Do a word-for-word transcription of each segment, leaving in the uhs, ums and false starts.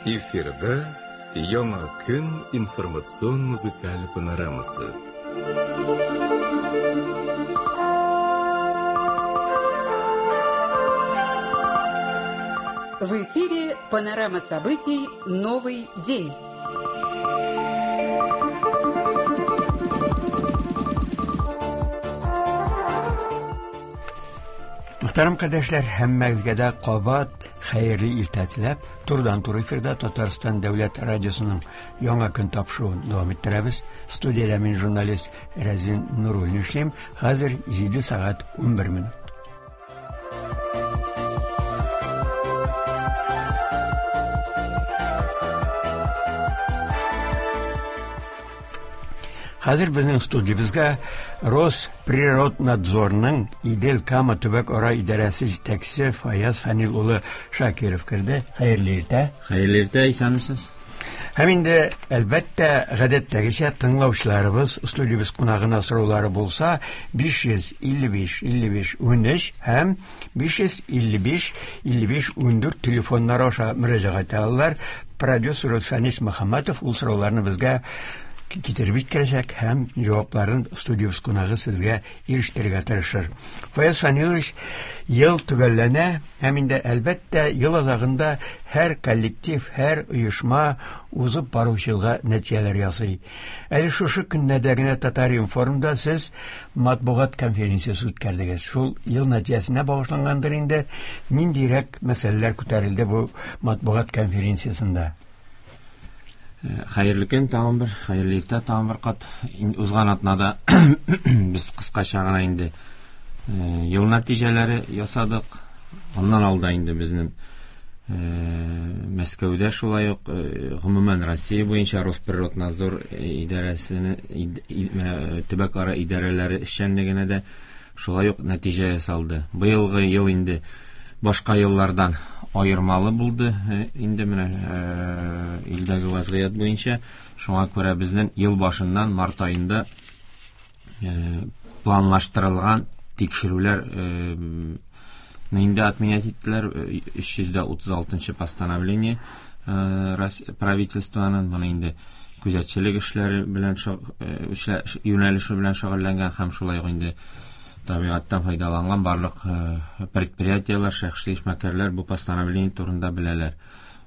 Эфирда Яңа көн информацион музыкаль панорамасы. В эфире панорама событий «Новый день». Мөхтәрәм кардәшләр, һәммәгезгә дә кабат хәерле иртә теләп, турыдан-туры эфирда Татарстан дәүләт радиосының Яңа көн тапшыруын дәвам иттерәбез. Студиядә мин журналист Рәзин Нуруллин эшлим. Хәзер җиде сәгать унбер минут. Хәзер безнең студиябезгә Росприроднадзорның Идел-Кама төбәк-ара идарәсе җитәкчесе Фаяз Фәнил улы Шакиров керде. Хәерле иртә. Хәерле иртә, исәнмесез. Һәм инде, әлбәттә, гадәттәгечә тыңлаучыларыбыз студиябез кунагына сораулары булса, биш йөз илле биш, илле биш, унөч һәм биш йөз илле биш, илле биш, ундүрт телефоннары аша мөрәҗәгать итә алалар. Продюсер Фәнис Мөхәммәтов ул сорауларны безгә китереп җиткерәчәк һәм җавапларын студиябез кунагы сезгә ирештерергә тырышыр. Фаяз Фәнилович, ел төгәлләнә һәм инде әлбәттә ел азагында һәр коллектив, һәр оешма узып баручы елга нәтиҗәләр ясый. Әле шушы көннәрдә генә Татар-информда сез матбугат конференциясе үткәрдегез. Шул ел нәтиҗәсенә багышлангандыр инде. Ниндирәк мәсьәләләр күтәрелде бу матбугат конференциясендә? Хәерле көн тагын бер, хәерле иртә тагын бер кат. Узган атнада без кыскача гына инде ел нәтиҗәләре ясадык. Аннан алда инде безнең Мәскәүдә шулай ук, гомумән Россия буенча Росприроднадзор идарәсенең төбәк-ара идарәләре эшчәнлегенә дә шулай ук нәтиҗә ясалды. Быелгы ел инде башка еллардан аермалы булды инде менә илдәге вазгыять буенча. Шуңа күрә безнең ел башыннан март аенда планлаштырылган тикшерүләр инде отменять иттеләр. Өч йөз дә утыз алтынчы постановление правительствоның моны инде күзәтчелек эшләре белән юнәлеше белән шөгыльләнгән һәм шулай ук инде табигатьтән файдаланган барлык предприятиеләр, шәхси эшмәкәрләр бу постановление турында беләләр.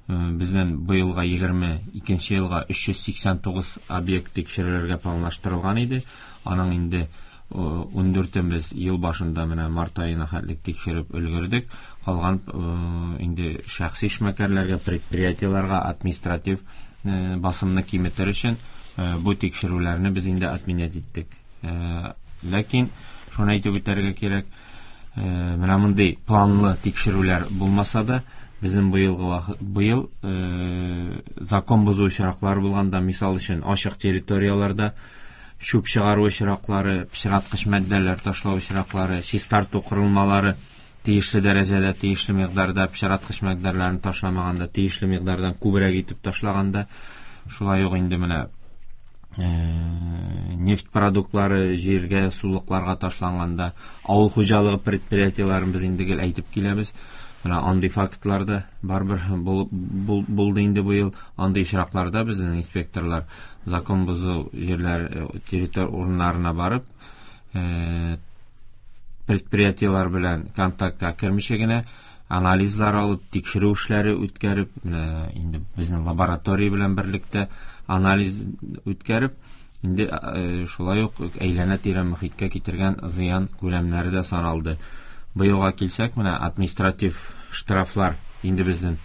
Безнең быелга егерме икенче елга өч йөз сиксән тугыз объект тикшерелергә планлаштырылган иде. Аның инде ундүртен без ел башында менә март аена хәтлек тикшереп өлгердек. Калган инде шәхси эшмәкәрләргә, предприятиеләргә административ басымны киметер өчен бу тикшерүләрне без инде отменять иттек. Ләкин шуны әйтеп үтәргә кирәк, менә мондый планлы тикшерүләр булмаса да, безнең быелгы вакыт, быел закон бозу очраклары булганда, мисал өчен, ачык территорияләрдә чүп чыгару очраклары, пычраткыч матдәләр ташлау очраклары, чистарту корылмалары тиешле дәрәҗәдә, тиешле микъдарда пычраткыч матдәләрне ташламаганда, тиешле микъдардан күбрәк итеп ташлаганда, шулай ук инде менә нефть продуктлары җиргә, сулыкларга ташланганда, авыл хуҗалыгы предприятиеләрен без инде гел әйтеп киләбез. Менә андый фактлар да барыбер булды инде быел. Андый очракларда безнең инспекторлар закон бозу җирләр, территория урыннарына барып, предприятиеләр белән контактка кермичә генә анализлар алып, тикшерү эшләре үткәреп, менә инде безнең лаборатория белән берлектә анализ үткәреп, инде шулай ук әйләнә-тирә мөхиткә китергән зыян күләмнәре дә саналды. Быелга килсәк, менә административ штрафлар инде безнең,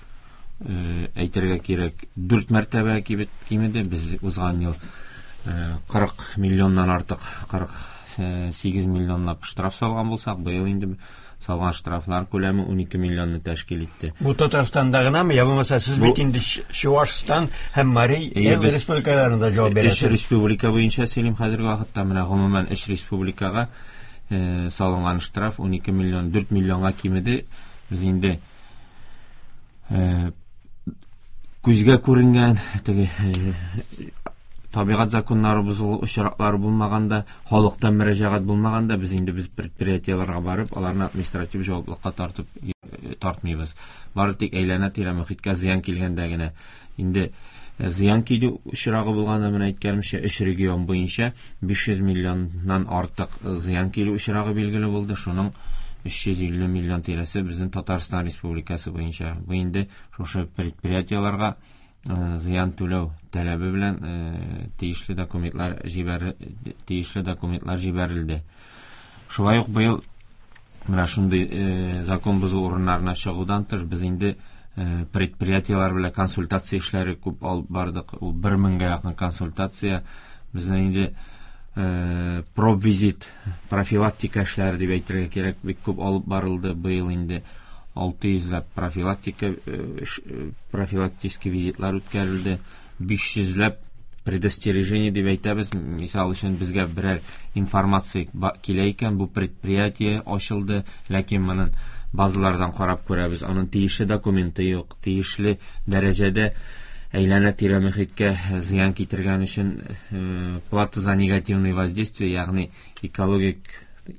әйтергә кирәк, дүрт мәртәбә кимеде. Без узган ел кырык миллионнан артык, кырык сигез миллионлап штраф салган булсак, быел инде салган штрафлар күләме унике миллионны тәшкил итте. Бу Татарстанда гынамы, я булмаса сез бит инде Чувашстан һәм Марий Эл республикаларында җавап бирәсез. Өч республика буенча сөйлим хәзерге вакытта. Менә гомумән өч республикага салынган штраф унике миллион, дүрт миллионга кимеде. Без инде күзгә күренгән теге табигать законнары бозылу очраклары булмаганда, халыктан мөрәҗәгать булмаганда, без инде без предприятиеләргә барып, аларны административ җаваплылыкка тартып тартмыйбыз. Бары тик әйләнә-тирә мөхиткә зыян килгәндә генә. Инде зыян килү очрагы булганда, менә әйткәнемчә, өч регион буенча биш йөз миллионнан артык зыян килү очрагы билгеле булды. Шуның өч йөз илле миллион тирәсе безнең Татарстан Республикасы буенча. Бу инде шушы предприятиеләргә зыян түләү таләбе белән тиешле документлар җибәр, тиешле документлар җибәрелде. Шулай ук быел менә шундый закон бозу урыннарына чыгудан тыш без инде предприятиеләр белән консультация эшләре күп алып бардык. Ул бер меңгә якын консультация. Безнең инде пробвизит, профилактика эшләре дип әйтергә кирәк, бик күп алып барылды. Быел инде алты йөзләп профилактика, профилактический визитлар үткәрелде. Биш йөзләп предостережение дип әйтәбез. Мисал өчен, безгә берәр информация килә икән, бу предприятие ачылды, ләкин моның базалардан карап күрәбез, аның тиешле документы юк, тиешле дәрәҗәдә әйләнә-тирә мөхиткә зыян китергән өчен плата за негативное воздействие, ягъни экологик,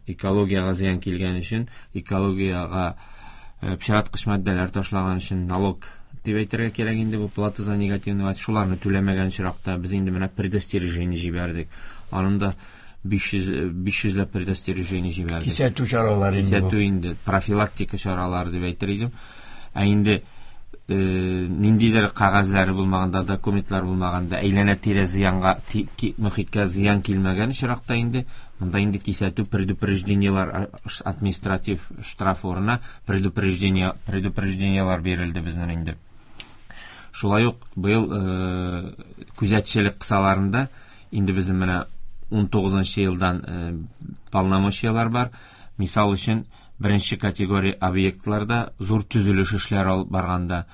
экологиягә зыян килгән өчен, экологиягә пычраткыч матдәләр ташлаган өчен налог дип әйтергә кирәк инде, бу плата за негативное воздействие. Шуларны түләмәгән очракта без инде менә предостережение җибәрдек. Аның да биш йөз, биш йөзләп предостережение җибәрдек. Кисәтү чаралары инде бу. Кисәтү инде, профилактика чаралары дип әйтер идем. Ә инде ниндидер кәгазьләре булмаганда, документлар булмаганда, әйләнә-тирә зыянга, мөхиткә зыян килмәгән очракта инде монда инде кисәтү предупреждениелар, административ штраф урынына предупреждение, предупреждениелар бирелде безнең инде. Шулай ук быел күзәтчелек кысаларында инде безнең менә ун тугызынчы елдан полномочиялар бар. Мисал өчен, беренче категория объектларда зур төзелеш эшләре алып барганда,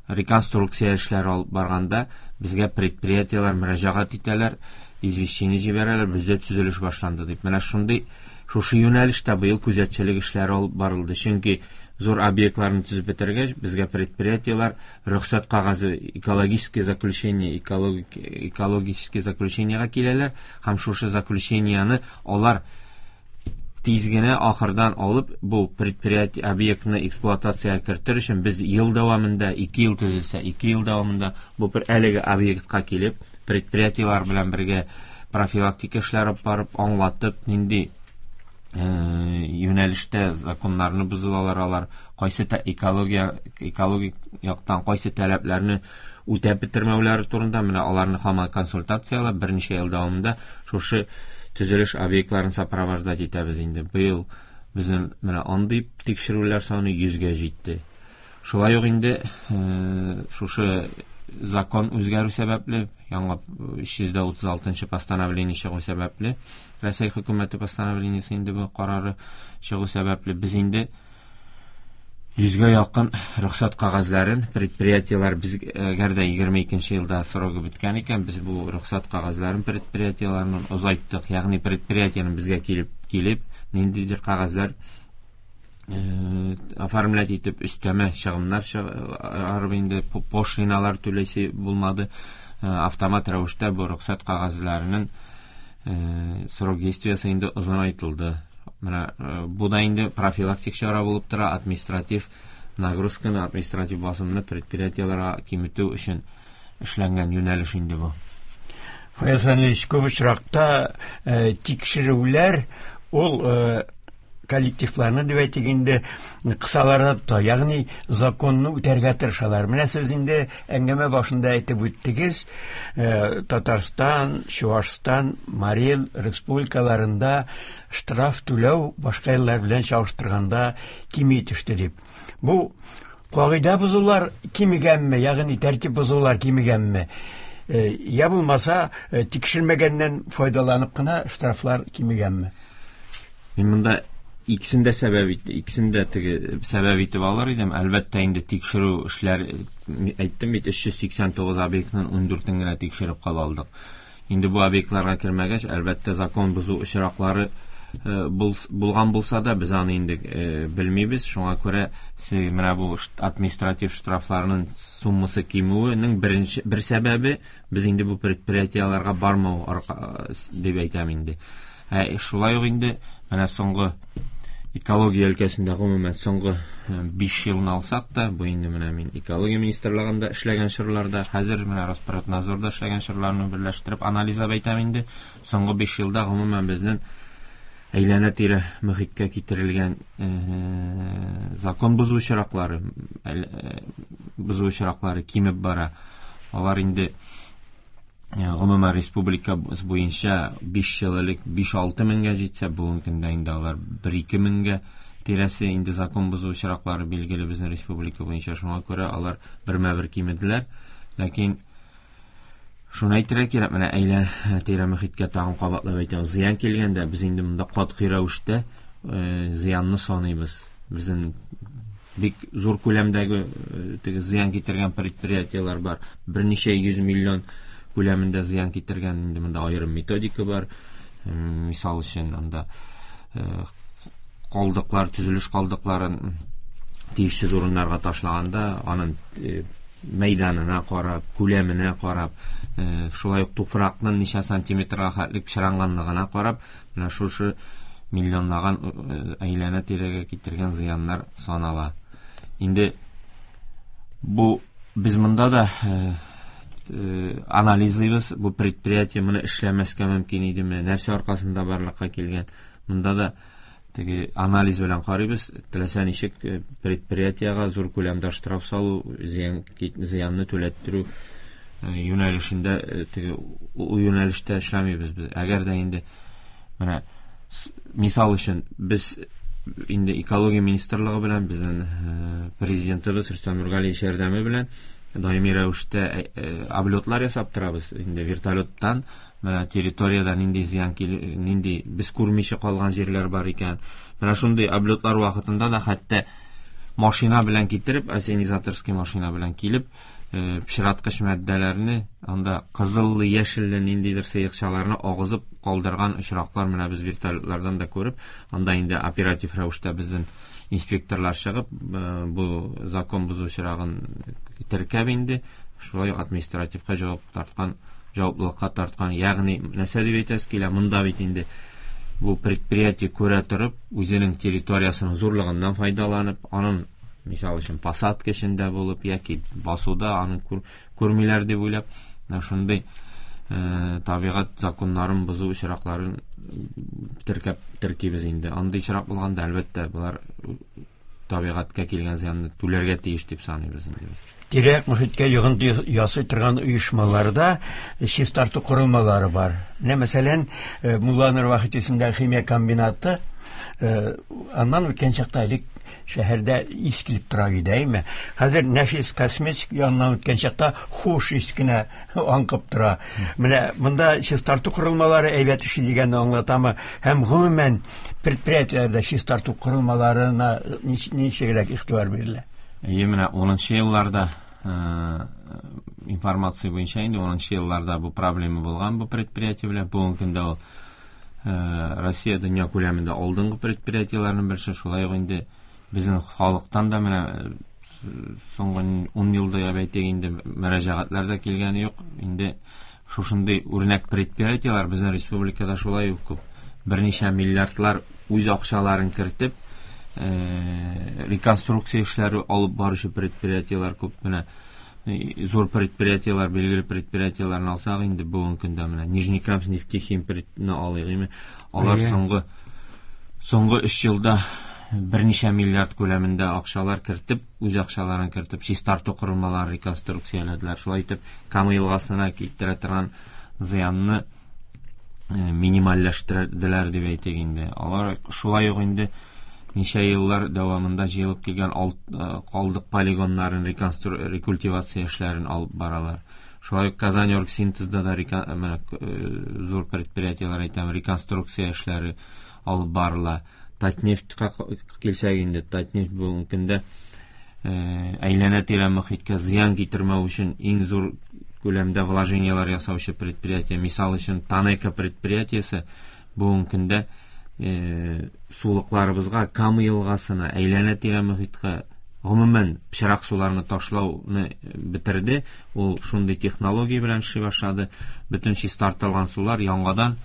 реконструкция эшләре алып барганда безгә предприятиеләр мөрәҗәгать итәләр, извещение җибәрәләр, бездә төзелеш башланды дип. Менә шундый, шушы юнәлештә быел күзәтчелек эшләре алып барылды. Чөнки зур объектларны төзеп бетергәч, безгә предприятиеләр рөхсәт кәгазе, экологическое заключение, экологик, экологическое заключениега киләләр һәм шушы заключениены алар тиз генә ахырдан алып, бу предприятие объектны эксплуатациягә кертер өчен без ел дәвамында, ике ел төзелсә, ике ел дәвамында бу бер әлеге объектка килеп, предприятиеләр белән бергә профилактика эшләре алып барып, аңлатып, нинди юнәлештә законнарны бозылалар алар, кайсы экология, экологик яктан кайсы таләпләрне үтәп бетермәүләре турында менә аларны һаман консультацияләп берничә ел дәвамында шушы төзелеш объектларын сопровождать итәбез инде. Быел безнең менә андый тикшерүләр саны йөзгә җитте. Шулай ук инде шушы закон үзгәрү сәбәпле, яңа өч йөз дә утыз алтынчы постановление чыгу сәбәпле, Рәсәй хөкүмәте постановлениесе инде бу карары чыгу сәбәпле без инде йөзгә якын рөхсәт кәгазьләрен предприятиеләр без, әгәр дә егерме икенче елда срогы беткән икән, без бу рөхсәт кәгазьләрен предприятиеләрнең озайттык. Ягъни предприятиенең безгә килеп, килеп ниндидер кәгазьләр оформлять итеп өстәмә чыгымнар чыгарып инде пошлиналар түләсе булмады. Автомат рәвештә бу рөхсәт кәгазьләренең срок действиясе инде озынайтылды. Менә бу да инде профилактик чара булып тора, административ нагрузканы, административ басымны предприятиеләргә киметү өчен эшләнгән юнәлеш инде бу. Фаяз Фәнилович, күп очракта тикшерүләр ул коллективларны дип әйтик инде кысаларда тота, ягъни законны үтәргә тырышалар. Менә сез инде әңгәмә башында әйтеп үттегез, Татарстан, Чуашстан, Марий Эл республикаларында штраф түләү башка еллар белән чагыштырганда кими төште дип. Бу кагыйдә бозулар кимегәнме, ягъни тәртип бозулар кимегәнме? Я булмаса, тикшермәгәннән файдаланып кына штрафлар кимегәнме? Мин монда икесен дә сәбәп ит-, икесен дә теге сәбәп итеп алыр идем. Әлбәттә инде тикшерү эшләр, әйттем бит, өч йөз сиксән тугыз объектның ун дүртен генә тикшереп кала алдык. Инде бу объектларга кермәгәч, әлбәттә закон бозу очраклары, э, бул-, булган булса да, без аны инде, э, белмибез. Шуңа күрә менә бу шт-, административ штрафларның суммасы кимүенең беренче бер сәбәбе без инде бу предприятиеләргә бармау арка, дип әйтәм инде. Ә, шулай ук инде менә соңгы Экология өлкәсендә гомумән соңгы биш елны алсак та, бу инде менә мин экология министрлыгында эшләгән чорларда, хәзер менә Роспотребнадзорда эшләгән чорларны берләштереп анализлап әйтәм инде. Соңгы биш елда гомумән безнең әйләнә-тирә мөхиткә китерелгән закон бозу очраклары, бозу очраклары кимеп бара. Алар инде гомумән республика буенча биш ел элек биш-алты меңгә җитсә, бүгенге көндә инде алар бер-ике меңгә тирәсе инде закон бозу очраклары билгеле безнең республика буенча. Шуңа күрә алар бермә-бер кимеделәр. Ләкин шуны әйтергә кирәк, менә әйләнә-тирә мөхиткә тагын кабатлап әйтәм, зыян килгәндә без инде монда катгый рәвештә зыянны саныйбыз. Безнең бик зур күләмдәге теге зыян китергән предприятиеләр бар. Берничә йөз миллион күләмендә зыян китергән, инде монда аерым методика бар. Мисал өчен, анда калдыклар, төзелеш калдыкларын тиешсез урыннарга ташлаганда, аның мәйданына карап, күләменә карап, шулай ук туфракның ничә сантиметрга хәтлек пычранганлыгына карап, менә шушы миллионлаган әйләнә-тирәгә китергән зыяннар санала. Инде бу без монда да анализлыйбыз, бу предприятие моны эшләмәскә мөмкин идеме, нәрсә аркасында барлыкка килгән. Монда да теге анализ белән карыйбыз, теләсә ничек предприятиегә зур күләмдә штраф салу, зыян, зыянны түләттерү юнәлешендә, теге ул юнәлештә эшләмибез без. Әгәр дә инде менә мисал өчен без инде экология министрлыгы белән безнең президентыбыз Рөстәм Нургалиевич ярдәме белән даими рәвештә облетлар ясап торабыз. Инде вертолеттан менә территорияда нинди зыян кил, нинди без күрмичә калган җирләр бар икән. Менә шундый облетлар вакытында да хәтта машина белән китереп, ассенизаторский машина белән килеп, пычраткыч матдәләрне, анда кызыллы, яшелле ниндидер сыекчаларны агызып калдырган очраклар менә без вертолетлардан да күреп, анда инде оператив рәвештә безнең инспекторлар чыгып, бу закон бозу очрагын теркәп инде, шулай ук административка җавап тарткан, җаваплылыкка тарткан. Ягъни нәрсә дип әйтәсе килә, монда бит инде бу предприятие күрә торып, үзенең территориясының зурлыгыннан файдаланып, аның мисал өчен посадка эчендә булып яки басуда аны күрмиләр дип уйлап, менә шундый табигать законнарын бозу очракларын теркәп теркибез инде. Андый очрак булганда, әлбәттә, болар табигатькә килгән зыянны түләргә тиеш дип саныйбыз инде. Тирә-як мөхиткә йогынты ясый торган оешмаларда чистарту корылмалары бар. Менә мәсәлән, Мулланур Вахит исемендәге химия комбинаты, аннан үткән чакта элек шәһәрдә ис килеп тора иде, әйме? Хәзер Нәфис косметик яныннан үткән чакта хуш ис кенә аңкып тора. Менә монда чистарту корылмалары әйбәт эшли дигәнне аңлатамы? Һәм гомумән предприятиеләрдә чистарту корылмаларына ничегрәк игътибар бирелә? Әйе, менә унынчы елларда информация буенча инде унынчы елларда бу проблема булган бу предприятие белән. Бүгенге көндә ул Россия дөнья күләмендә алдынгы предприятиеләрнең берсе. Шулай ук инде безнең халыктан да менә соңгы ун елда дип әйтик инде мөрәҗәгатьләр дә килгәне юк. Инде шушындый үрнәк предприятиеләр безнең республикада шулай ук күп. Берничә миллиардлар үз акчаларын кертеп, реконструкция эшләре алып баручы предприятиеләр күп. Менә зур предприятиеләр, билгеле предприятиеләрне алсак инде бүгенге көндә менә Нижнекамск нефтехим предприятиене алыйк инде. Алар соңгы, соңгы өч елда берничә миллиард күләмендә акчалар кертеп, үз акчаларын кертеп, чистарту корылмаларын реконструкцияләделәр. Шулай итеп, Кама елгасына китерә торган зыянны минимальләштерделәр дип әйтик инде. Алар шулай ук инде ничә еллар дәвамында җыелып килгән калдык полигоннарын реконстру-, рекультивация эшләрен алып баралар. Шулай ук Казань оргсинтезда да рекон-, менә, зур предприятиеләр әйтәм, реконструкция эшләре алып барыла. Татнефтькә килсәк инде, Татнефть бүгенге көндә әйләнә-тирә мөхиткә зыян китермәү өчен иң зур күләмдә вложениелар ясаучы предприятие. Мисал өчен, Танека предприятиесе бүгенге көндә сулыкларыбызга, Кама елгасына, әйләнә-тирә мөхиткә гомумән пычрак суларны ташлауны бетерде. Ул шундый технология белән эшли башлады. Бөтен чистартылган сулар яңадан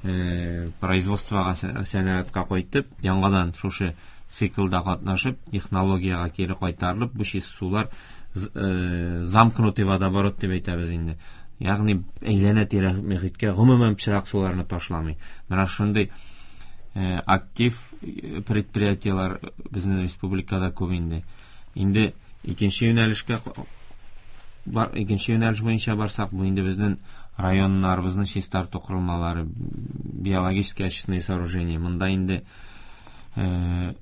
производствога, сәнәгатькә кайтып, яңадан шушы циклда катнашып, технологиягә кире кайтарылып, бу чиста сулар замкнутый водоворот дип әйтәбез инде. Ягъни әйләнә-тирә мөхиткә гомумән пычрак суларны ташламый. Менә шундый актив предприятиеләр безнең республикада күп инде. Инде икенче юнәлешкә бар, икенче юнәлеш буенча барсак, бу инде безнең районнарыбызның чистарту корылмалары, биологические очистные сооружения. Монда инде э,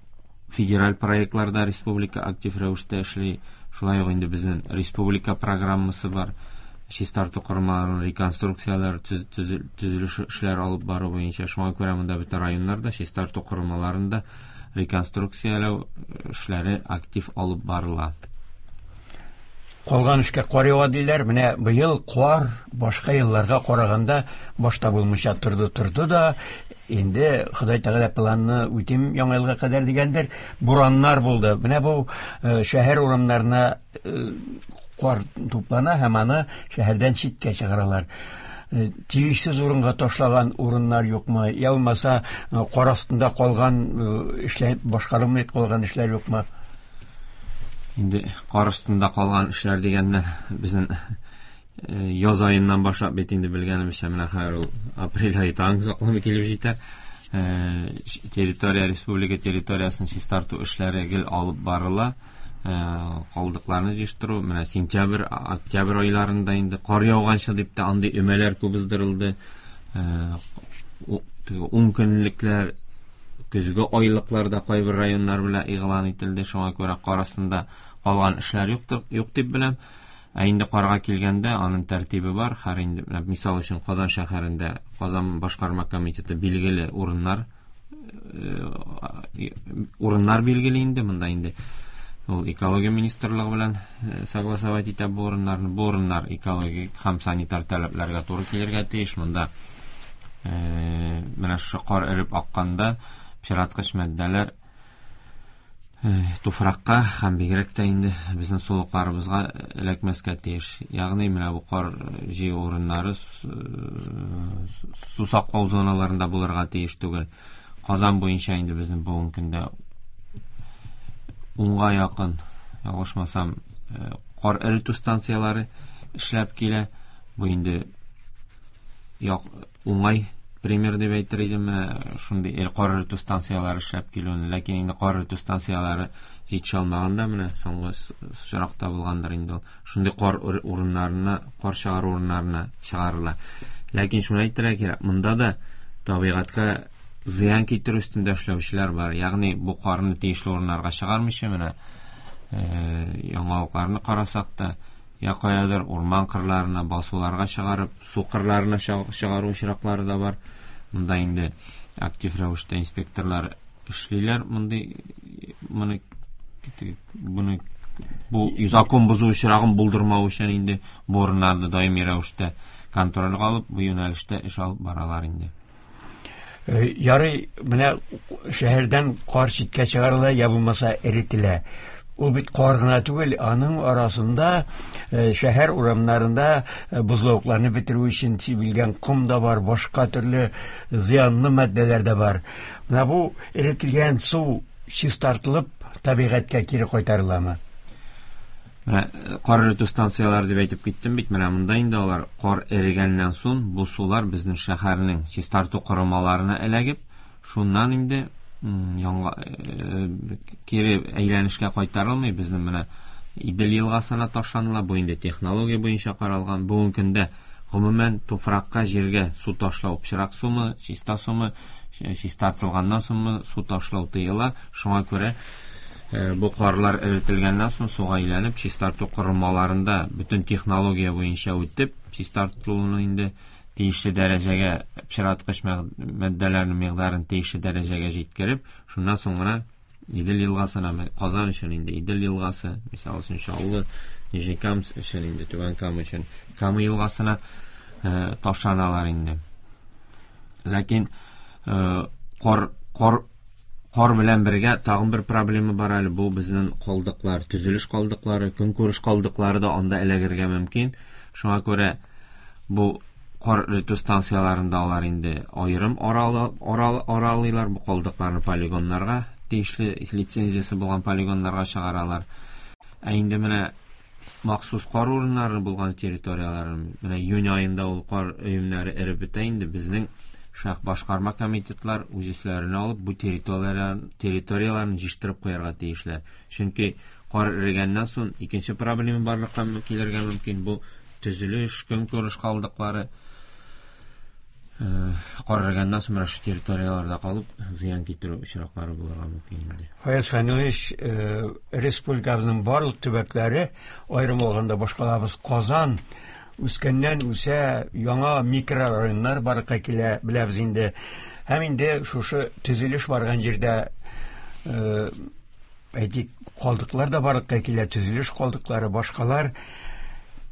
федераль проектларда республика актив рәвештә эшли. Шулай ук инде безнең республика программасы бар. Чистарту корылмаларын реконструкцияләр, төзелеш эшләре алып бару буенча. Шуңа күрә монда бөтен районнарда чистарту корылмаларында реконструкцияләү эшләре актив алып барыла. Калган эшкә кар ява диләр. Менә быел кар башка елларга караганда башта булмыйча торды торды да, инде Ходай Тәгалә планны үтим яңа елга кадәр дигәндер, бураннар булды. Менә бу шәһәр урамнарына кар туплана һәм аны шәһәрдән читкә чыгаралар. Тиешсез урынга ташлаган урыннар юкмы? Я булмаса кар астында калган эшләр, башкарылмый калган эшләр юкмы? Инде кар астында калган эшләр дигәннән безнең яз аеннан башлап бит инде белгәнебезчә, менә хәзер ул апрель ае тагын озакламый килеп җитә. Территория, республика территориясын чистарту эшләре гел алып барыла. Калдыкларны җыештыру менә сентябрь, октябрь айларында инде кар яуганчы дип тә андый өмәләр күп уздырылды. Ун көнлекләр, көзге айлыкларда кайбер районнар белән игълан ителде. Шуңа күрә кар астында калган эшләр юктыр, юк дип беләм. Ә инде карга килгәндә аның тәртибе бар. Хәр инде мисал өчен Казан шәһәрендә Казан башкарма комитеты билгеле урыннар урыннар билгеле инде. Монда инде ул экология министрлыгы белән согласовать итә бу урыннарны. Бу урыннар экологик һәм санитар таләпләргә туры килергә тиеш. Монда менә шушы кар эреп акканда пычраткыч матдәләр туфракка һәм бигрәк тә инде безнең сулыкларыбызга эләкмәскә тиеш. Ягъни менә бу кар җыю урыннары су саклау зоналарында булырга тиеш түгел. Казан буенча инде безнең бүгенге көндә унга якын, ялгышмасам, кар эретү станцияләре эшләп килә. Бу инде уңай пример дип әйтер идем, менә шундый кар эретү станцияләре эшләп килүен. Ләкин инде кар эретү станцияләре җитешә алмаганда, менә соңгы очракта булгандыр инде ул. Шундый кар урыннарына, кар чыгару урыннарына чыгарыла. Ләкин шуны әйтергә кирәк, монда да табигатькә зыян китерү өстендә эшләүчеләр бар. Ягъни бу карны тиешле урыннарга чыгармыйча, менә яңалыкларны карасак та, я каядыр урман кырларына, басуларга чыгарып, су кырларына чыгару очраклары да бар. Монда инде актив рәвештә инспекторлар эшлиләр. Мондый моны буны бу закон бозу очрагын булдырмау өчен инде бу урыннарда даими рәвештә контрольгә алып, бу юнәлештә эш алып баралар инде. Ярый, менә шәһәрдән кар читкә чыгарыла, я булмаса эретелә. Ул бит кар гына түгел, аның арасында шәһәр урамнарында бозлавыкларны бетерү өчен сибелгән ком да бар, башка төрле зыянлы матдәләр дә бар. Менә бу эретелгән су чистартылып табигатькә кире кайтарыламы? Менә кар эретү станцияләре дип әйтеп киттем бит, менә монда инде алар кар эрегәннән соң бу сулар безнең шәһәрнең чистарту корылмаларына эләгеп, шуннан инде яңа кире әйләнешкә кайтарылмый, безнең менә Идел елгасына ташланыла. Бу инде технология буенча каралган. Бүгенге көндә гомумән туфракка, җиргә су ташлау, пычрак сумы, чиста сумы, чистартылганнан соңмы су ташлау тыела. Шуңа күрә бу карлар эретелгәннән соң суга әйләнеп, чистарту корылмаларында бөтен технология буенча үтеп, чистартылуны инде тиешле дәрәҗәгә, пычраткыч матдәләрнең микъдарын тиешле дәрәҗәгә җиткереп, шуннан соң гына Идел елгасына, Казан өчен инде Идел елгасы, мисал өчен Чаллы, Нижнекамск өчен инде Түбән Кама өчен Кама елгасына ташланалар инде. Ләкин кар, кар, кар белән бергә тагын бер проблема бар әле, бу безнең калдыклар, төзелеш калдыклары, көнкүреш калдыклары да анда эләгергә мөмкин. Шуңа күрә бу Кар эретү станцияларында алар инде аерым аралыйлар, бу калдыкларны полигоннарга, тиешле лицензиясе булган полигоннарга чыгаралар. Ә инде менә махсус кар урыннары булган территорияләрен, менә июнь аенда ул кар өемнәре эреп бетә инде, безнең шәһәр башкарма комитетлар үз өсләренә алып бу территорияләрен, территорияләрен җыештырып куярга тиешләр. Чөнки кар эрегәннән соң икенче проблема барлыкка килергә мөмкин, бу төзелеш, көнкүреш калдыклары. Кар эрегәннән соң менә шу территорияләрдә калып зыян китерү очраклары булырга мөмкин инде. Фаяз Фәнилович, республикабызның барлык төбәкләре, аерым алганда башкалабыз Казан үскәннән үсә, яңа микрорайоннар барлыкка килә, беләбез инде. Һәм инде шушы төзелеш барган җирдә, әйтик, калдыклар да барлыкка килә, төзелеш калдыклары, башкалар.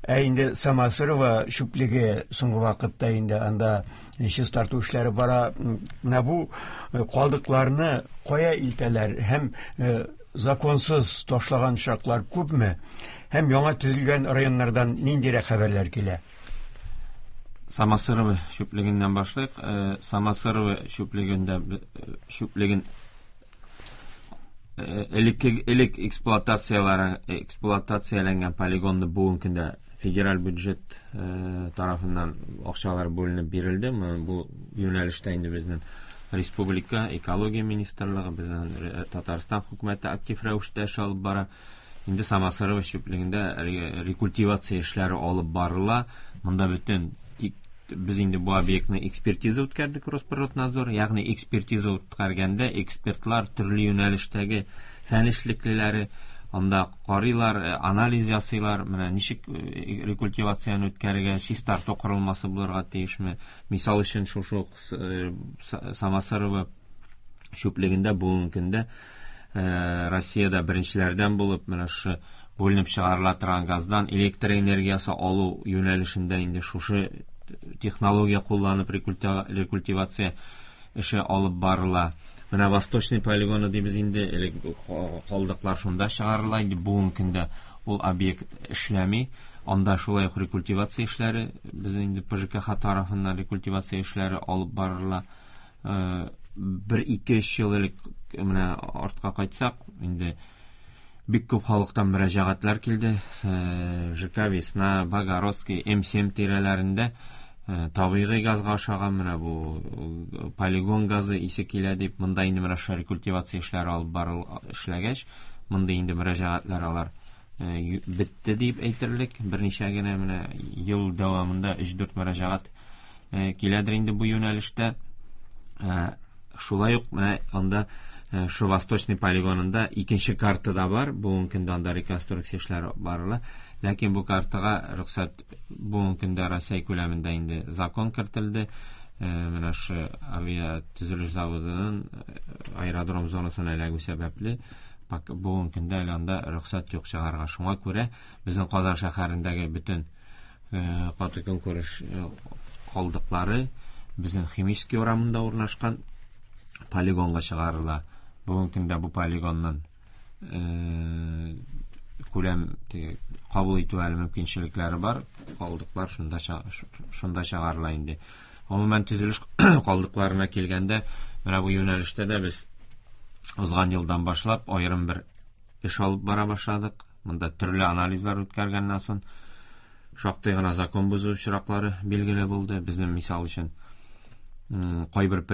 Ә инде Самосырова чүплеге соңгы вакытта инде анда чистарту эшләре бара. Менә бу калдыкларны кая илтәләр һәм законсыз ташлаган очраклар күпме? Һәм яңа төзелгән районнардан ниндирәк хәбәрләр килә? Самосырова чүплегеннән башлыйк. Самосырова чүплегендә чүплеген элек элек эксплуатацияләре эксплуатацияләнгән полигонны бүгенге көндә федераль бюджет тарафыннан акчалар бүленеп бирелде. Бу юнәлештә инде безнең республика экология министрлыгы, безнең Татарстан хөкүмәте актив рәвештә эш алып бара. Инде Самосырова чүплегендә рекультивация эшләре алып барыла. Монда бөтен без инде бу объектны экспертиза үткәрдек Росприроднадзор, ягъни экспертиза үткәргәндә экспертлар төрле юнәлештәге фән эшлеклеләре анда карыйлар, анализ ясыйлар, менә ничек рекультивацияне үткәрергә, чистарту корылмасы булырга тиешме. Мисал өчен, шушы Самосырова чүплегендә бүгенге көндә Россиядә беренчеләрдән булып менә шушы бүленеп чыгарыла торган газдан электр энергиясе алу юнәлешендә инде шушы технология кулланып рекультивация эше алып барыла. Менә Восточный полигоны дибез инде, элек калдыклар шунда чыгарыла инде, бүгенге көндә ул объект эшләми. Анда шулай ук рекультивация эшләре, без инде П Ж К Х тарафыннан рекультивация эшләре алып барыла. Бер ике өч ел элек менә артка кайтсак, инде бик күп халыктан мөрәҗәгатьләр килде. Ж К Весна, Богородский, М семь тирәләрендә табигый газга ашаган менә бу полигон газы исе килә дип, монда инде менә шул рекультивация эшләре алып барыл эшләгәч, монда инде мөрәҗәгатьләр алар бетте дип әйтерлек. Берничә генә менә ел дәвамында өч-дүрт мөрәҗәгать киләдер инде бу юнәлештә. Шулай ук менә анда шу Восточный полигонында икенче карта да бар. Бүгенге көндә анда реконструкция эшләре барыла. Ләкин бу картага рөхсәт бүгенге көндә Россия күләмендә инде закон кертелде. Менә шу авиа төзелеш заводының аэродром зонасына эләгү сәбәпле бүгенге көндә әле анда рөхсәт юк чыгарга. Шуңа күрә безнең Казан шәһәрендәге бөтен каты көнкүреш калдыклары безнең Химический урамында урнашкан полигонга чыгарыла. Бүгенге көндә бу полигонның күләм кабул итү әле мөмкинчелекләре бар. Калдыклар шунда шунда чыгарыла инде. Гомумән төзелеш калдыкларына килгәндә, менә бу юнәлештә дә без узган елдан башлап аерым бер эш алып бара башладык. Монда төрле анализлар үткәргәннән соң шактый гына закон бозу очраклары билгеле булды. Безнең мисал өчен кайбер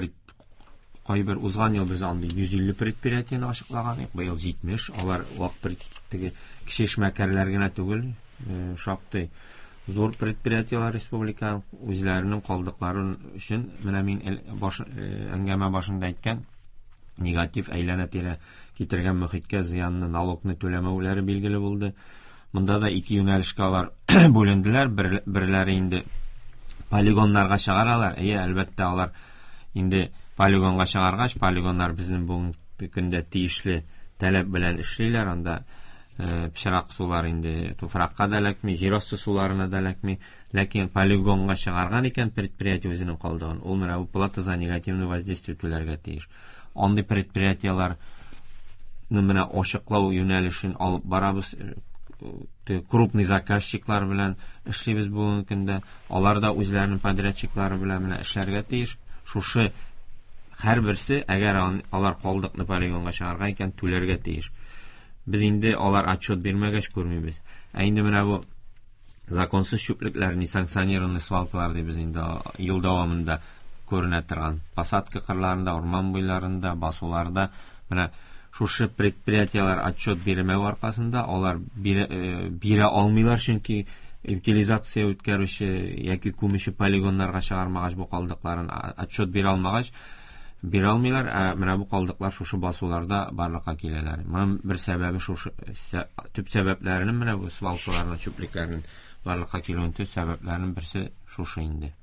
кайбер узган ел без андый йөз илле предприятиене ачыклаган идек, быел җитмеш. Алар вак теге кече эшмәкәрләр генә түгел, шактый зур предприятиеләр республика үзләренең калдыклары өчен менә мин баш, әңгәмә башында әйткән негатив әйләнә-тирә китергән мөхиткә зыянны, налогны түләмәүләре билгеле булды. Монда да ике юнәлешкә алар бүленделәр. Бер, берләре инде полигоннарга чыгаралар. Әйе, әлбәттә, алар инде полигонга чыгаргач, полигоннар безнең бүгенге көндә тиешле таләп белән эшлиләр. Анда пычрак сулар инде туфракка да эләкми, җир асты суларына да эләкми. Ләкин полигонга чыгарган икән предприятие үзенең калдыгын, ул менә бу плата за негативное воздействие түләргә тиеш. Андый предприятиеләрне менә ачыклау юнәлешен алып барабыз. Крупный заказчиклар белән эшлибез бүгенге көндә. Алар да үзләренең подрядчиклары белән менә эшләргә тиеш. Шушы һәрберсе, әгәр алар калдыкны полигонга чыгарган икән, түләргә тиеш. Без инде алар отчет бирмәгәч күрмибез. Ә инде менә бу законсыз чүплекләр, несанкционированный свалкалар дибез инде ел дәвамында күренә торган. Посадка кырларында, урман буйларында, басуларда менә шушы предприятиеләр отчет бирмәү аркасында алар бирә, бирә алмыйлар, чөнки утилизация үткәрүче яки күмүче полигоннарга чыгармагач бу калдыкларын отчет бирә алмагач бирә алмыйлар. Ә менә бу калдыклар шушы басуларда барлыкка киләләр. Моның бер сәбәбе шушы, төп сәбәпләренең менә бу свалкаларның, чүплекләрнең барлыкка килүенең төп сәбәпләренең берсе шушы инде.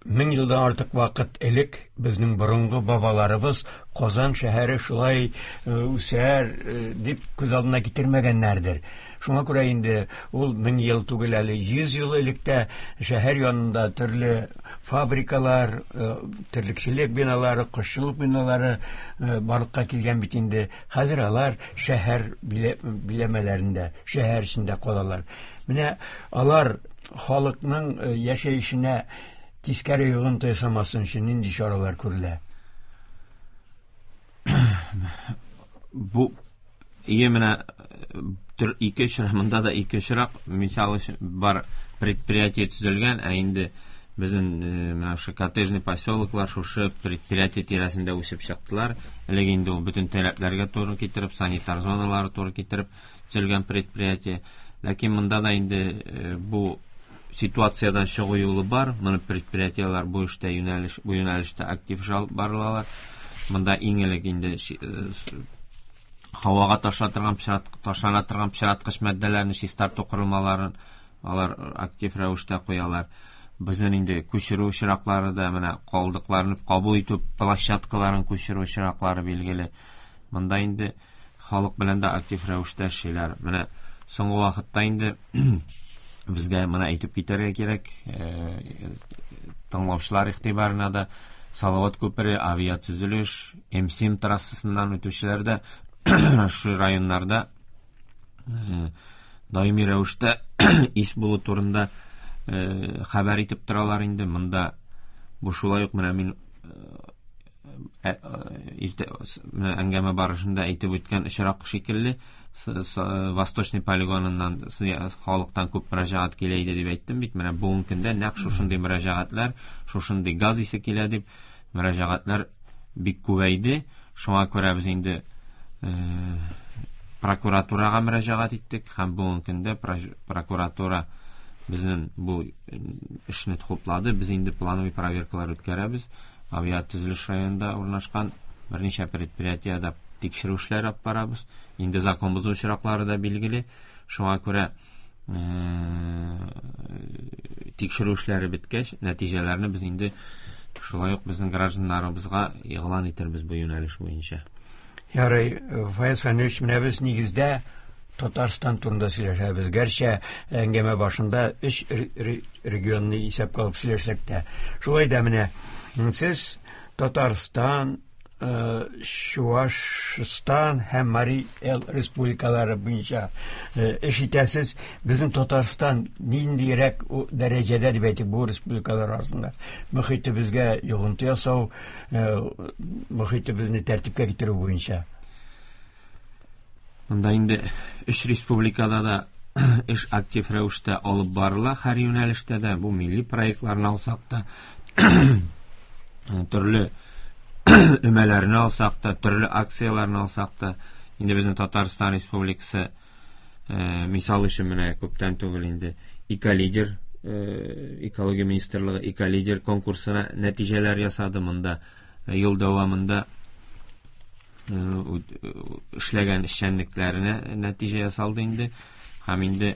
Мең елдан артык вакыт элек безнең борынгы бабаларыбыз Казан шәһәре шулай үсәр дип күз алдына китермәгәннәрдер. Шуңа күрә инде ул мең ел түгел әле, йөз ел элек тә шәһәр янында төрле фабрикалар, терлекчелек биналары, кошчылык биналары барлыкка килгән бит инде. Хәзер алар шәһәр биләмәләрендә, шәһәр эчендә калалар. Менә алар халыкның яшәешенә тискәре йогынты ясамасын өчен нинди чаралар күрелә? Бу ие менә төр ике очрак, монда да ике очрак, мисал өчен бар предприятие төзелгән, ә инде безнең менә шушы коттеджный поселоклар шушы предприятие тирәсендә үсеп чыктылар. Элек инде ул бөтен таләпләргә туры китереп, санитар зоналары туры китереп төзелгән предприятие. Ләкин монда да инде бу ситуациядан чыгу юлы бар. Моны предприятиеләр бу эштә юнәлеш, бу юнәлештә актив эш алып барылалар. Монда иң элек инде һавага ташлана торган, ташлана торган пычраткыч матдәләрне чистарту корылмаларын алар актив рәвештә куялар. Безнең инде күчерү очраклары да, менә калдыкларны кабул итү площадкаларын күчерү очраклары билгеле. Монда инде халык белән дә актив рәвештә эшлиләр. Менә соңгы вакытта инде безгә моны әйтеп китәргә кирәк, тыңлаучылар игътибарына да Салават күпере, авиатөзелеш, М семь трассасыннан үтүчеләр дә шу районнарда даими рәвештә ис булу турында хәбәр итеп торалар инде. Монда бу шулай ук менә мин иртә әңгәмә барышында әйтеп үткән очрак шикелле Восточный полигоныннан халыктан күп мөрәҗәгать килә иде дип әйттем бит. Менә бүгенге көндә нәкъ шушындый мөрәҗәгатьләр, шушындый газ исе килә дип мөрәҗәгатьләр бик күбәйде. Шуңа күрә без инде прокуратурага мөрәҗәгать иттек һәм бүгенге көндә прокуратура безнең бу эшне хуплады. Без инде плановый проверкалар үткәрәбез. Авиатөзелеш районында урнашкан берничә предприятиедә тикшерү эшләре алып барабыз. Инде закон бозу очраклары да билгеле. Шуңа күрә тикшерү эшләре беткәч, нәтиҗәләрне без инде шулай ук безнең гражданнарыбызга игълан итербез бу юнәлеш буенча. Ярый, Фаяз Фәнилович, менә без нигездә Татарстан турында сөйләшәбез. Гәрчә әңгәмә башында өч регионны исәпкә алып сөйләшсәк тә. Шулай да менә сез Татарстан, Чуашстан һәм Марий Эл республикалары буенча эш итәсез. Безнең Татарстан ниндирәк дәрәҗәдә дип әйтик бу республикалар арасында мөхитебезгә йогынты ясау, мөхитебезне тәртипкә китерү буенча? Монда инде өч республикада да эш актив рәвештә алып барыла. Һәр юнәлештә дә бу милли проектларны алсак та, төрле өмәләрне алсак та, төрле акцияләрне алсак та, инде безнең Татарстан Республикасы мисал өчен менә күптән түгел инде Эколидер, экология министрлыгы Эколидер конкурсына нәтиҗәләр ясады. Монда ел дәвамында эшләгән эшчәнлекләренә нәтиҗә ясалды инде. Һәм инде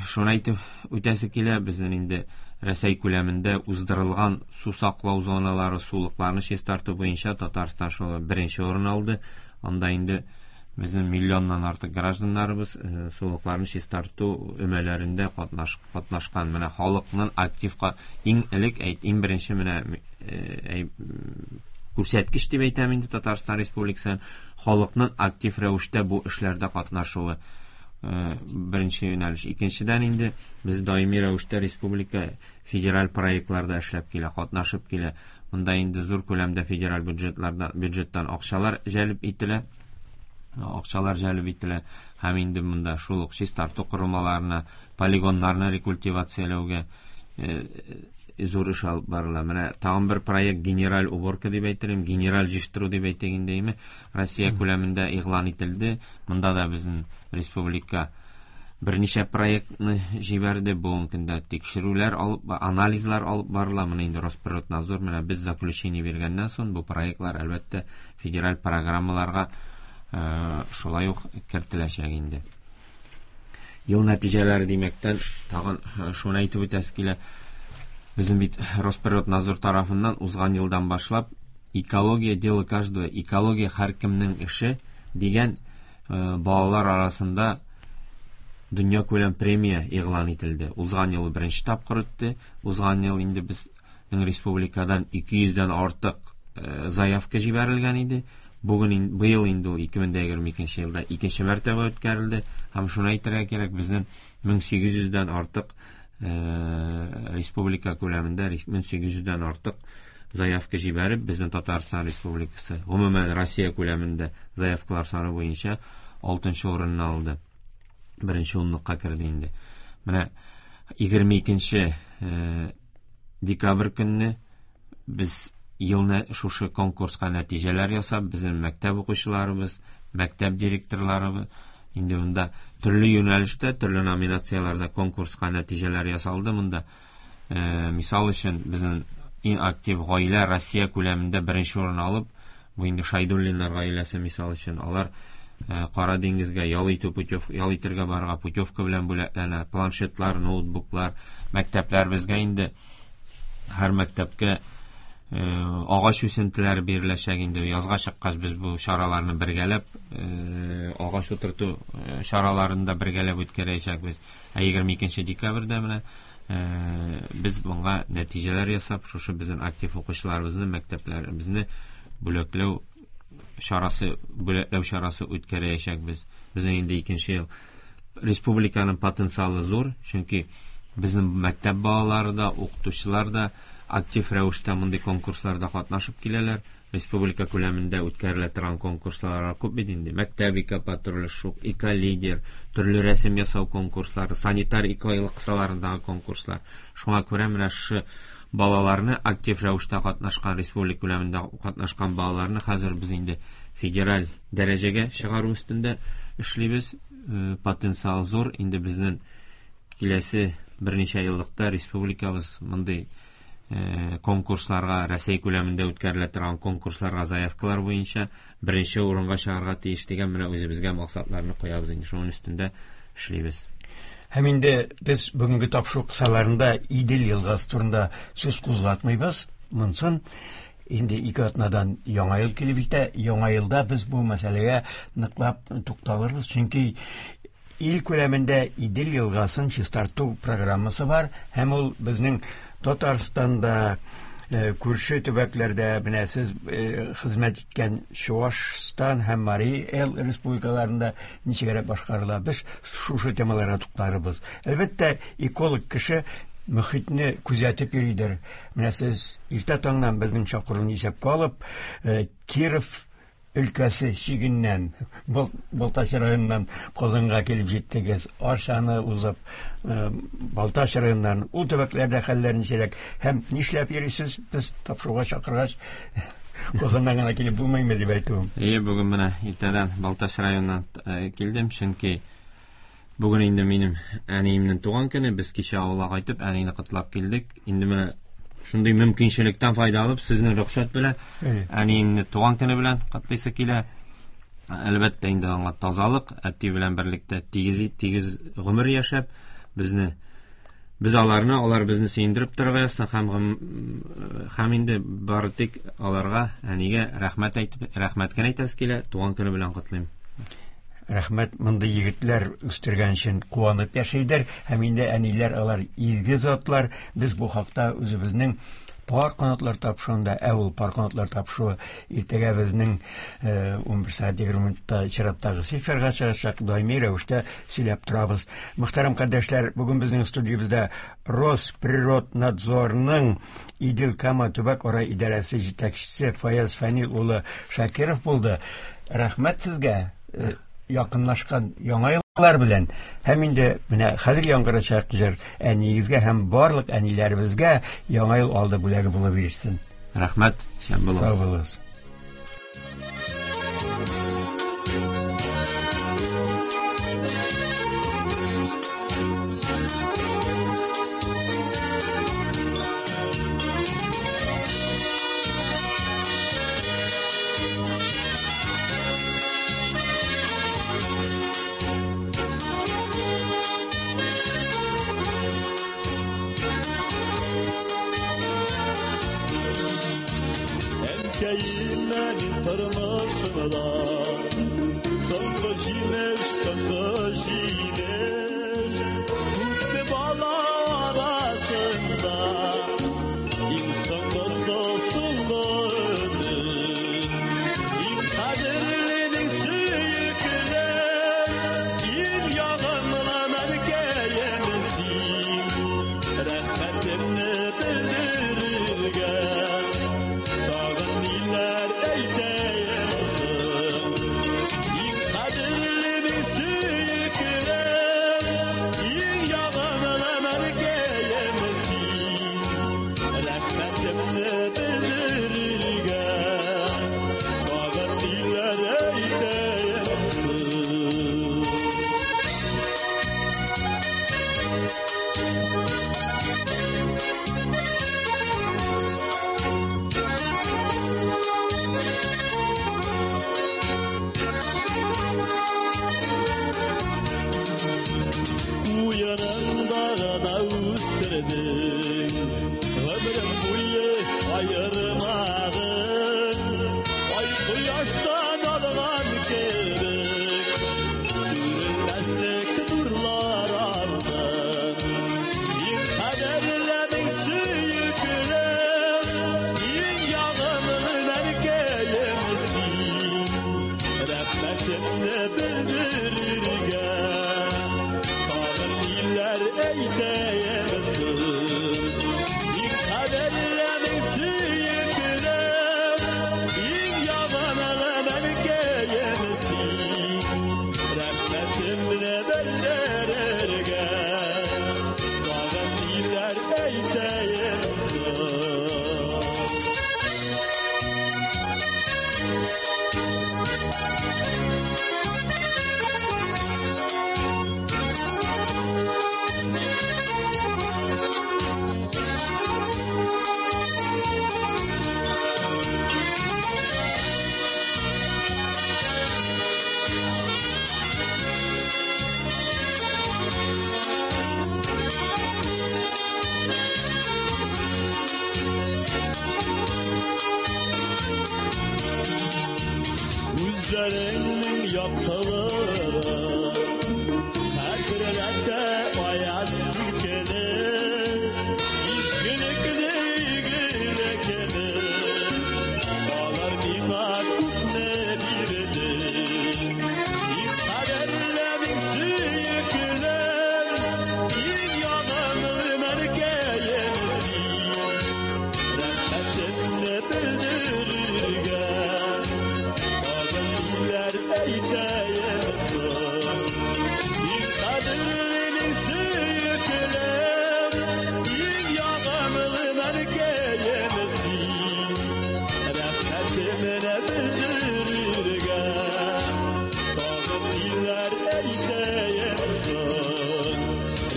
шуны әйтеп үтәсе килә, безнең инде Рәсәй күләмендә уздырылган су саклау зоналары, сулыкларны чистарту буенча Татарстан шул беренче урын алды. Анда инде безнең миллионнан артык гражданнарыбыз сулыкларны чистарту өмәләрендә катнаш, катнашкан. Менә халыкның актив иң элек әйт, иң беренче менә күрсәткеч дип әйтәм инде Татарстан Республикасының халыкның актив рәвештә бу эшләрдә катнашуы. Беренче юнәлеш. Икенчедән инде без даими рәвештә республика федераль проектларда эшләп килә, катнашып килә. Монда инде зур күләмдә федераль бюджетларда, бюджеттан акчалар җәлеп ителә. Акчалар җәлеп ителә һәм инде монда шул ук чистарту корылмаларына, полигоннарны рекультивацияләүгә зур эш алып барыла. Менә тагын бер проект генераль уборка дип әйтелем, генераль җыештыру дип әйтик инде, Россия күләмендә игълан ителде. Монда да безнең республика берничә проектны җибәрде. Бүгенге көндә тикшерүләр алып, анализлар алып барыла. Моны инде Росприроднадзор менә без заключение биргәннән соң бу проектлар әлбәттә федераль программаларга шулай ук кертеләчәк инде. Ел нәтиҗәләре димәктән тагын шуны әйтеп үтәсе килә. Безнең бит Росприроднадзор тарафыннан узган елдан башлап экология дело каждого, экология һәркемнең эше дигән балалар арасында дөнья күләм премия игълан ителде. Узган ел беренче тапкыр үтте. Узган ел инде безнең республикадан ике йөздән артык заявка җибәрелгән иде. Бүген быел инде ул ике мең егерме икенче елда икенче мәртәбә үткәрелде. Һәм шуны әйтергә кирәк, безнең мең сигез йөздән артык республика күләмендә мең сигез йөздән артык заявка җибәреп, безнең Татарстан Республикасы, гомумән Россия күләмендә заявкалар саны буенча алтынчы урынны алды. Беренче унлыкка керде инде. Менә егерме икенче декабрь көнне без елны шушы конкурска нәтиҗәләр ясап, безнең мәктәп укучыларыбыз, мәктәп директорларыбыз инде монда төрле юнәлештә, төрле номинацияләрдә конкурска нәтиҗәләр ясалды. Монда мисал өчен безнең иң актив гаилә Россия күләмендә беренче урын алып, бу инде Шайдуллиннар гаиләсе мисал өчен, алар Кара диңгезгә ял итү путев, ял итәргә барырга путевка белән бүләкләнә, планшетлар, ноутбуклар, мәктәпләр безгә инде һәр мәктәпкә агач үсентеләре биреләчәк инде. Язга чыккач без бу чараларны бергәләп, агач утырту чараларын да бергәләп үткәрәчәкбез. Ә егерме икенче декабрьдә менә без моңа нәтиҗәләр ясап, шушы безнең актив укучыларыбызны, мәктәпләребезне бүләкләү чарасы, бүләкләү чарасы үткәрәчәкбез. Безнең инде икенче ел республиканың потенциалы зур, чөнки безнең мәктәп балалары да, укытучылар да актив рәвештә мондый конкурсларда катнашып киләләр. Республика күләмендә үткәрелә торган конкурслар күп бит инде. Мәктәп экопатруле, шук, эколидер, төрле рәсем ясау конкурслары, санитар экойлык кысаларындагы конкурслар. Шуңа күрә менә шушы балаларны актив рәвештә катнашкан, республика күләмендә катнашкан балаларны хәзер без инде федераль дәрәҗәгә чыгару өстендә эшлибез. Потенциал зур. Инде безнең киләсе берничә еллыкта республикабыз мондый конкурсларга, Россия күләмендә үткәрелә торган конкурсларга заявкалар буенча беренче урынга чыгарга тиеш дигән менә үзебезгә максатларны куябыз инде, шуның өстендә эшлибез. Һәм инде без бүгенге тапшыру кысаларында Идел елгасы турында сүз кузгатмыйбыз. Монсын инде ике атнадан яңа ел килеп җитә. Яңа елда без бу мәсьәләгә ныклап тукталырбыз, чөнки ил күләмендә Идел елгасын чистарту программасы бар, һәм ул безнең Татарстанда, күрше төбәкләрдә, менә сез хезмәт иткән Чуашстан һәм Марий Эл республикаларында ничегрәк башкарыла. Без шушы темаларга туктарбыз. Әлбәттә, эколог кеше мөхитне күзәтеп йөридер. Менә сез иртә таңнан безнең чакыруны исәпкә алып, Киров өлкәсе чигеннән, Балтач районыннан Казанга килеп җиттегез. Арчаны узып, Балтач районыннан, ул төбәкләрдә хәлләр ничек һәм нишләп йөрисез? Без тапшыруга чакыргач, Казаннан гына килеп булмыймы дип әйтүем. Әйе, бүген менә иртәдән Балтач районыннан килдем, чөнки бүген инде минем әниемнең туган көне. Без кичә авылга кайтып, әнине котлап килдек. Инде менә шундый мөмкинчелектән файда алып, сезнең рөхсәт белән әниемне туган көне белән котлыйсы килә. Әлбәттә, инде аңа тазалык, әти белән берлектә тигез, тигез гомер яшәп, безне, без аларны, алар безне сөендереп торырга язсын, һәм, һәм инде бары тик аларга, әнигә рәхмәт әйтеп, рәхмәт кенә әйтәсе килә. Туган көне белән котлыйм. Рәхмәт, мондый егетләр үстергән өчен куанып яшәйдер, һәм инде әниләр алар изге затлар. Без бу хакта үзебезнең Пар канатлар тапшыруында, ә ул пар канатлар тапшыруы иртәгә безнең ун бер сәгать егерме минутта чираттагы эфирга чыгачак, даими рәвештә сөйләп торабыз. Мөхтәрәм кардәшләр, бүген безнең студиябездә Росприроднадзорның Идел Кама төбәк-ара идарәсе җитәкчесе Фаяз Фәнил улы Шакиров булды. Рәхмәт сезгә, якынлашкан яңа еллар белән. Һәм инде менә хәзер яңгырачак җыр әниегезгә һәм барлык әниләребезгә яңа ел алды бүләге булып ирешсен. Рәхмәт, исән булыгыз. Сау булыгыз. Gözlerinin yaptıları Hatırlata ayaz ülkeli İzgilikli igilikli Ağlar mima kutne birdi İnkaderlemin sıyıklı İn yağımlı merkeyemsi Rahmetimle bildirirgen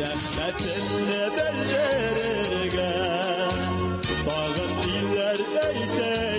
Rəhmətinlə bildirirgə, Bağın diller eytəyəmsin.